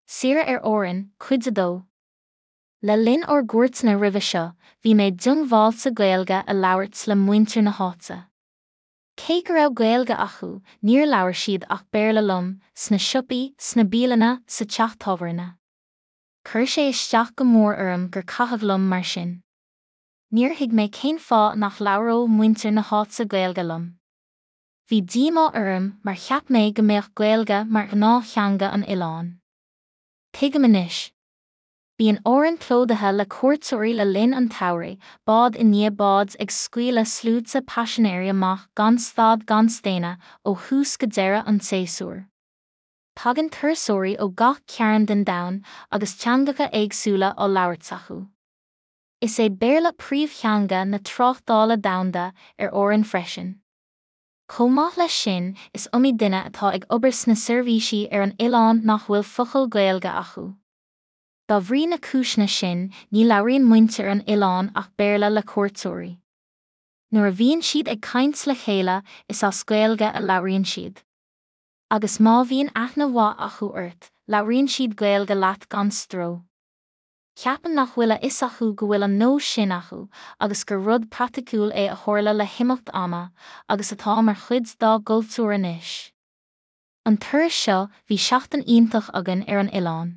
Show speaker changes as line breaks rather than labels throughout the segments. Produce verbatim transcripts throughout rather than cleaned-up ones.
Saoire ar Árainn, Cuid a dó. Le linn ár gcuairteanna roimhe seo, bhí mé diongbháilte Gaeilge a labhairt le muintir na háite. Cé go raibh Gaeilge acu, níor labhair siad ach Béarla liom, sna siopaí, sna bialanna, sa teach tábhairne. Chuir sé isteach go mór orm gur caitheamh liom mar sin. Níor thuig mé cén fáth nach labhródh muintir na háite Gaeilge liom. Bhí díomá orm mar cheap mé go mbeadh Gaeilge mar ghnáth-theanga an oileáin. Tuigim anois. Bíonn Árainn plódaithe le cuairteoirí le linn an tsamhraidh, bád i ndiaidh báid ag scaoileadh sluaite paisinéirí amach gan stad gan staonadh ó thús go deireadh an tséasúir. Tagann turasóirí ó gach cearn den domhan agus teangacha éagsúla á labhairt acu. Is é Béarla príomhtheanga na tráchtála domhanda ar Árainn freisin. Chomh maith leis sin, is iomaí duine atá ag obair sna seirbhísí ar an oileán nach bhfuil focal Gaeilge acu. Dá bhrí na cúiseanna sin, ní labhraíonn muintir an oileáin ach Béarla le cuairteoirí. Nuair a bhíonn siad ag caint le chéile, is as Gaeilge a labhraíonn siad. Agus má bhíonn aithne mhaith acu ort, labhraíonn siad Gaeilge leat gan stró. Ceapaim nach bhfuil a fhios acu go bhfuil an nós sin acu agus gur rud praiticiúil é a tharla le himeacht ama agus atá mar chuid dá gcultúr anois. An turas seo, bhí seachtain iontach againn ar an oileán.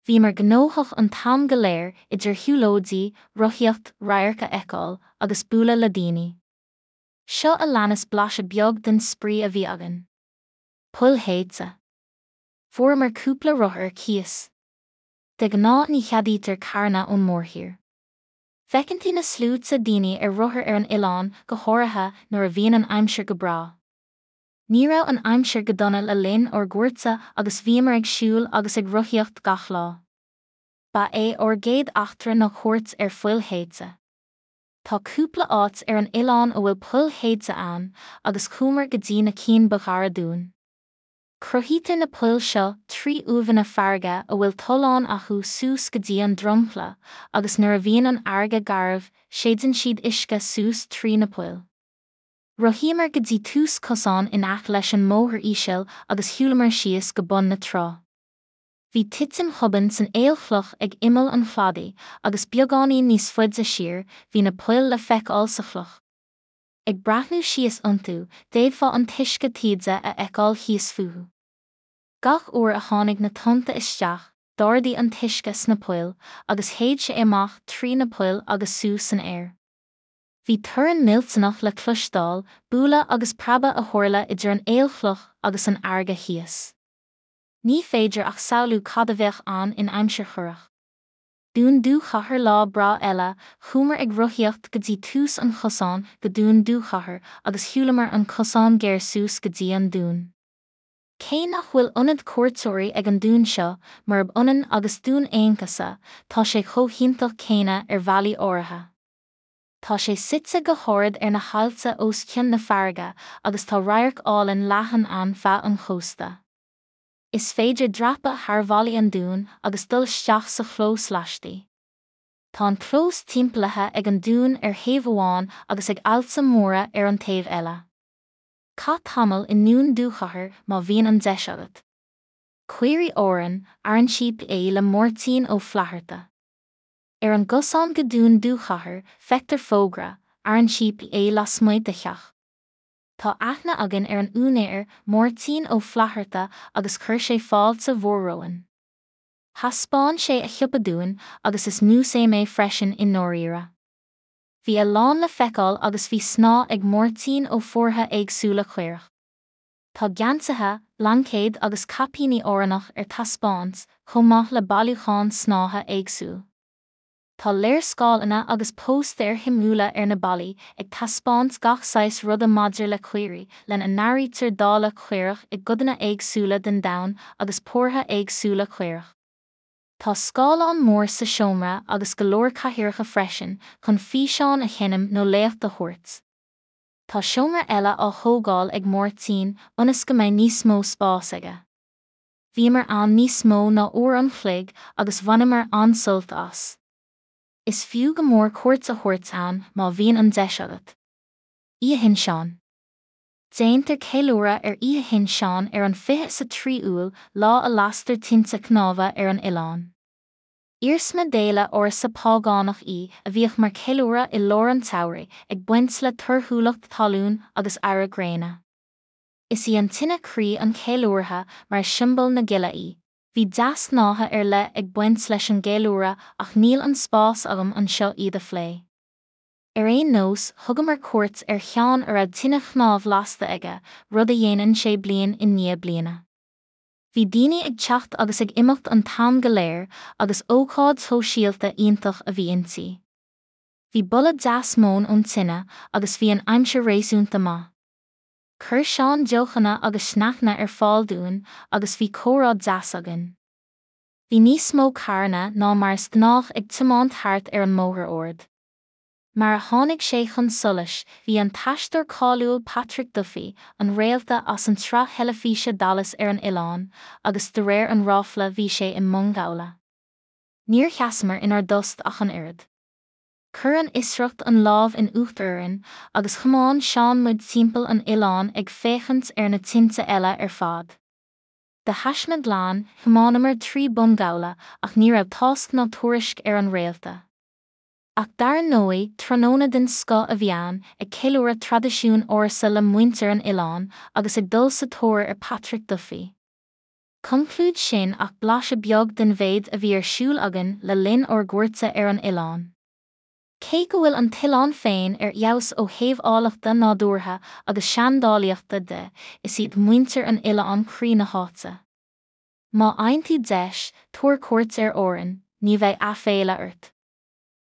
Bhíomar gnóthach an t-am go léir idir shiúlóidí, rothaíocht, radhairc a fheiceáil agus bualadh le daoine. Seo a leanas blaiseadh beag den spraoi a bhí againn. Poill shéidte. Fuaireamar cúpla rothar ar cíos. De ghnáth ní cheadaítear carranna ón mórthír. Feiceann tú na sluaite daoine ar rothar ar an oileán, go háirithe nuair a bhíonn an aimsir go breá. Ní raibh an aimsir go dona le linn ár gcuairte agus bhíomar ag siúl agus ag rothaíocht gach lá. Ba é ár gcéad eachtra ná cuairt ar phoill shéidte. Tá cúpla áit ar an oileán a bhfuil poill shéidte ann agus chuamar go dtí na cinn ba ghaire dúinn. Cruthaítear na poill seo trí uaimheanna farraige a bhfuil tolláin acu suas go dtí an dromchla agus nuair a bhíonn an fharraige garbh, séideann siad uisce suas trí na poill. Rothaíomar go dtí tús cosáin in aice leis an mbóthar íseal agus shiúlamar síos go bun na trá. Bhí titim thobann san aolchloch ag imeall an chladaigh agus beagáinín níos faide siar, bhí na poill le feiceáil sa chloch. Ag breathnú síos iontu, d'fhéadfá an t-uisce taoide a fheiceáil thíos fúthu. Gach uair a tháinig na tonnta isteach, d'ardaigh an t-uisce sna poill agus shéid sé amach trí na poill agus suas san aer. Bhí torann millteanach le cloisteáil, bualadh agus preabadh a tharla idir an aolchloch agus an fharraige thíos. Ní féidir ach samhlú cad a bheadh ann in aimsir chorrach. Dún Dúchathair lá breá eile, chuamar ag rothaíocht go dtí tús an chosáin go Dún Dúchathair agus shiúlamar an cosán géar suas go dtí an dún. Cé nach bhfuil ionad cuairteoirí ag an dún seo, murab ionann agus Dún Aonghasa, tá sé chomh hiontach céanna ar bhealaí áirithe. Tá sé suite go hard ar na haillte os cionn na farraige agus tá radharc álainn leathan ann feadh an chósta. Is féidir dreapadh thar bhallaí an dúin agus dul isteach sa chlós laistigh. Tá an clós timpeallaithe ag an dún ar thaobh amháin agus ag aillte móra ar an taobh eile. Caith tamall i nDún Dúchathair má bhíonn an deis agat. Caoirigh Árann, Aran Cheap é le Máirtín Ó Flatharta. Ar an gcosán go Dún Dúchathair, feictear fógra, Aran Cheap é lasmuigh de theach. Tá aithne againn ar an úinéir, Máirtín Ó Flatharta, agus chuir sé fáilte mhór romhainn. Thaispeáin sé a shiopa dúinn agus is músaem é freisin i ndáiríre. Bhí a lán le feiceáil agus bhí snáth ag Máirtín ó phórtha éagsúla caorach. Tá geansaithe, blaincéid agus caipíní Árannach ar taispeáint, chomh maith le bailiúchán snáithe éagsúil. Tá léarscáileanna agus póstaeir shuimiúla ar na ballaí ag taispeáint gach saghas ruda maidir le caoirigh, lena n-áirítear dáileadh caorach i gcodanna éagsúla den domhan agus pórtha éagsúla caorach. Tá scáileán mór sa seomra agus go leor cathaoireacha freisin chun físeáin a sheinm nó léacht a thabhairt. Tá seomra eile á thógáil ag Máirtín ionas go mbeidh níos mó spáis aige. Bhíomar ann níos mó ná uair an chloig agus bhaineamar an-sult as. Is fiú go mór cuairt a thabhairt ann má bhíonn an deis agat. Oíche Shin Seán. Déantar ceiliúradh ar Oíche Shin Seán ar an fiche is a trí Iúil, lá a lastar tinte cnámha ar an oileán. Iarsma d'fhéile ársa págánach í a bhíodh mar cheiliúradh i lár an tsamhraidh, ag baint le torthúlacht talún agus adhradh gréine. Is í an tine croí an cheiliúrtha mar is siombail na gile í. Bhí deasghnátha ar leith ag baint leis an gceiliúradh ach níl an spás agam anseo iad a phlé. Ar aon nós, thugamar cuairt ar Sheán a raibh tine chnámh lasta aige, rud a dhéanann sé bliain i ndiaidh bliana. Bhí daoine ag teacht agus ag imeacht an t-am go léir agus ócáid shóisialta iontach a bhí inti. Bhí boladh deas móin ón tine agus bhí an aimsir réasúnta maith. Chuir Seán deochanna agus sneaiceanna ar fáil dúinn agus bhí comhrá deas againn. Bhí níos mó carranna ná mar is gnách ag tiomáint thart ar an mbóthar ard. Mar a tháinig sé chun solais, bhí an t-aisteoir cáiliúil Patrick Duffy, an réalta as an tsraith theilifíse Dallas ar an oileán, agus de réir an ráfla bhí sé i mbungabhla. Níor sheasamar inár dtost ach an oiread. Chuir an fhiosracht an lámh in uachtar orainn agus thiomáin Seán muid timpeall an oileáin ag féachaint ar na tinte eile ar fad. De thaisme glan, thiomáineamar trí bhungabhla ach ní raibh tásc ná tuairisc ar an réalta. Ach dar ndóigh, tráthnóna den scoth a bhí ann, ag ceiliúradh traidisiún ársa le muintir an oileáin agus ag dul sa tóir ar Patrick Duffy. Conclúid Sin ach blaiseadh beag den mhéid a bhí ar siúl againn le linn ár gcuairte ar an oileán. Cé go bhfuil an t-oileán féin ar fheabhas ó thaobh áilleachta nádúrtha agus seandálaíochta de, is iad muintir an oileáin croí na háite. Má fhaigheann tú deis, tabhair cuairt ar Árainn, ní bheidh aiféala ort.